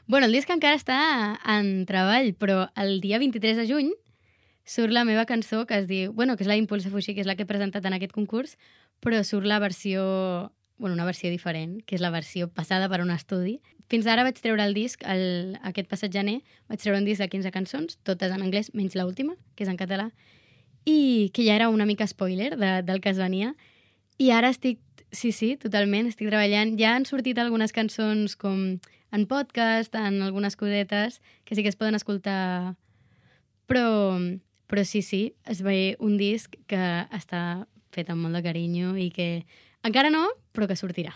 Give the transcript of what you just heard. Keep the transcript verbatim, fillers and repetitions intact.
Bueno, el disc encara està en treball, però el dia vint-i-tres de juny surt la meva cançó que es diu... Bueno, que és la Impulsa Fuixi, que és la que he presentat en aquest concurs, però surt la versió... Bueno, una versió diferent, que és la versió passada per un estudi. Fins ara vaig treure el disc, el, aquest passat gener, vaig treure un disc de quinze cançons, totes en anglès, menys l'última, que és en català, i que ja era una mica spoiler de, del que es venia. I ara estic, sí, sí, totalment, estic treballant. Ja han sortit algunes cançons com en podcast, en algunes cosetes, que sí que es poden escoltar. Però, però sí, sí, es ve un disc que està fet amb molt de carinyo i que encara no, però que sortirà.